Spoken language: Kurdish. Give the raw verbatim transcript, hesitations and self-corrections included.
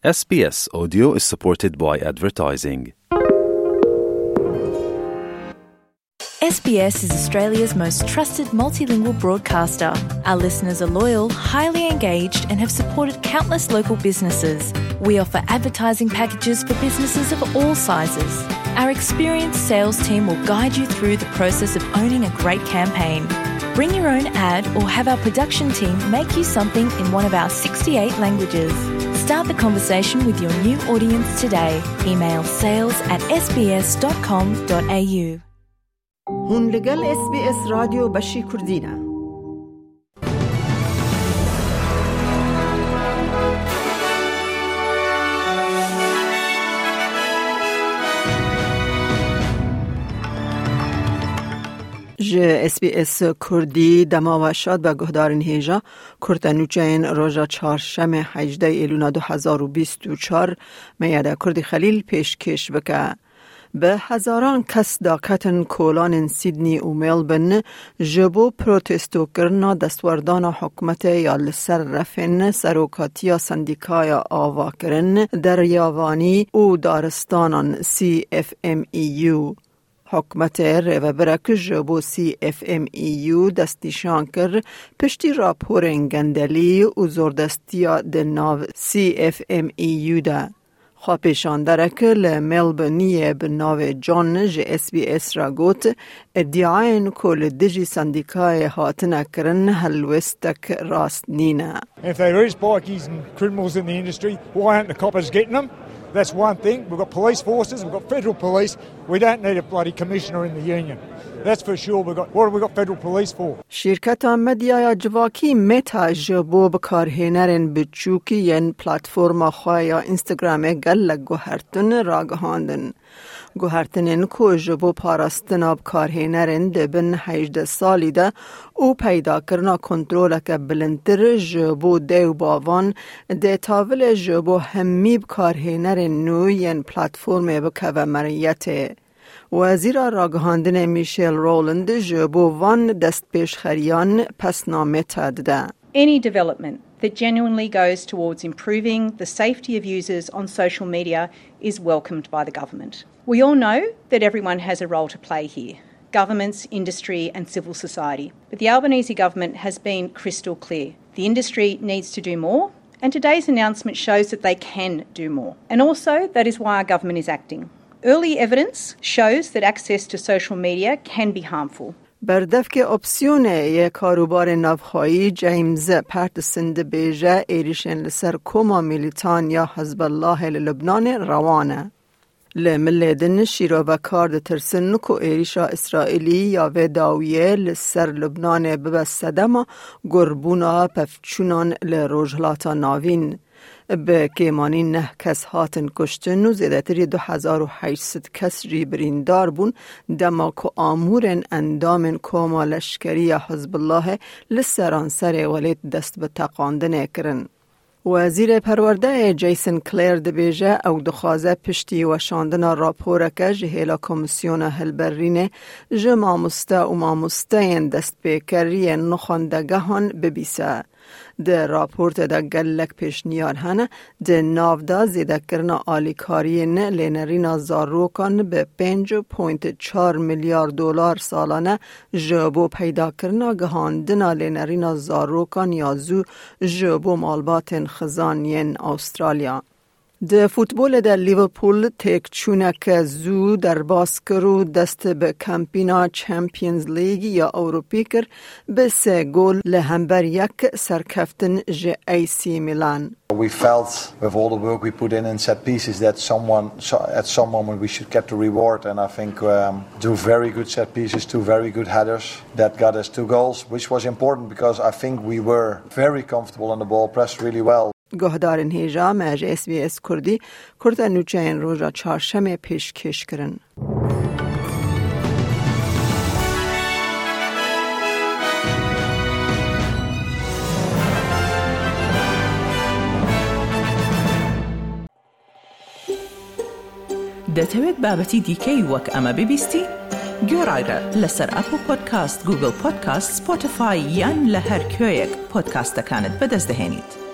S B S Audio is supported by advertising. S B S is Australia's most trusted multilingual broadcaster. Our listeners are loyal, highly engaged, and have supported countless local businesses. We offer advertising packages for businesses of all sizes. Our experienced sales team will guide you through the process of owning a great campaign. Bring your own ad or have our production team make you something in one of our sixty-eight languages. Start the conversation with your new audience today. Email sales at S B S dot com dot A U. Hûn li gel S B S Radyo Beşî Kurdî ne. Ji S B S Kurdî dema we şad be guhdarên hêja. Kurte nûçeyên roja çarşemê hejdeh Êlûna du hezar û bîst û çar me ya de Kurdî Xelîl pêşkêş bike. Bi hezaran kes daketin kolanên Sydney û Melbourne ji bo protestokirina destwerdana hikûmetê ya li ser refên serokatiya sendîkaya avakirin, deryavanî û daristanan C F M E U. Hikûmetê rêvebirek ji bo C F M E U destnîşan kir, piştî raporên gendelî û zordestiya di nav C F M E U de. Xwepêşanderek li Melbourneê bi navê John ji S B S re got, îdiayên ku li dijî sendîkayê hatine kirin helwêstek rast nîne. If there is bikies and criminals in the industry, why aren't the coppers getting them? That's one thing. We've got police forces, we've got federal police. We don't need a bloody commissioner in the union. That's for sure. We've got, what have we got federal police for? Şîrketa medyaya civakî Meta ji bo bikarhênerên biçûk yên platforma xwe ya Instagramê gelek guhertin ragihandin. Guhertinên ku ji bo parastina bikarhênerên di bin hejdeh salî de û peydakirina kontroleke bilindtir ji bo dê û bavan dê tavilê ji bo hemî bikarhênerên nû yên platformê bikeve meriyetê. Wezîra Ragihandinê Michelle Rowland ji bo van destpêşxeriyan pesna Meta dide. Any development that genuinely goes towards improving the safety of users on social media is welcomed by the government. We all know that everyone has a role to play here: governments, industry, and civil society. But the Albanese government has been crystal clear. The industry needs to do more, and today's announcement shows that they can do more. And also, that is why our government is acting. Early evidence shows that access to social media can be harmful. Berdevkê opsiyonê yê karûbarê navxweyî James Patterson dibêje, êrîşên li ser koma milîtan ya Hizbullahê li Lubnanê rewa ne. Li milê din şîrovekar ditirsin ku êrîşa Îsraîlî ya vê dawiyê li ser Lubnanê bibe sedema gurbûna pevçûnan li Rojhilata Navîn. Bi kêmanî neh kes hatin kuştin û zêdetirî du hezar û heşt sed kes jî birîndar bûn, dema ku amûrên endamên koma leşkerî ya Hizbullahê li seranserê welêt dest bi teqandinê kirin. Wezîrê Perwerdeyê Jason Clare dibêje, ew dixwaze piştî weşandina raporeke ji hêla Komîsyona Hilberînê ji mamoste û mamosteyên destpêker yên nû xwendegehan bibîse. Di raportê de gelek pêşniyar hene, di nav de zêdekirina alîkariyên lênerîna zarokan bi pênc point çar milyar dolar salane ji bo peydakirina gihandina lênerîna zarokan ya zû ji bo malbatên xizan yên Astralya. Di futbolê de Liverpool têkçûneke zû derbas kir û dest bi kampîna Champions League ya Ewropî kir, bi sê gol li hember yek serkeftin ji A C Milan. We felt with all the work we put in in set pieces that someone, so, at some moment we should get the reward, and I think, um, two very good set pieces, two very good headers that got us two goals, which was important because I think we were very comfortable on the ball, pressed really well. Guhdarên hêja, me ji S B S Kurdî kurte nûçeyên roja çarşemê pêşkêş kirin. دەتەوێت بابەتی دیکەی وەک ئەمە ببیستی؟ گوێڕایرە لەسەر ئەپڵ پۆدکاست، گوگڵ پۆدکاست، سپۆتیفای یان لە هەر کوێیەک پۆدکاستەکانت بەدەست دەهێنیت.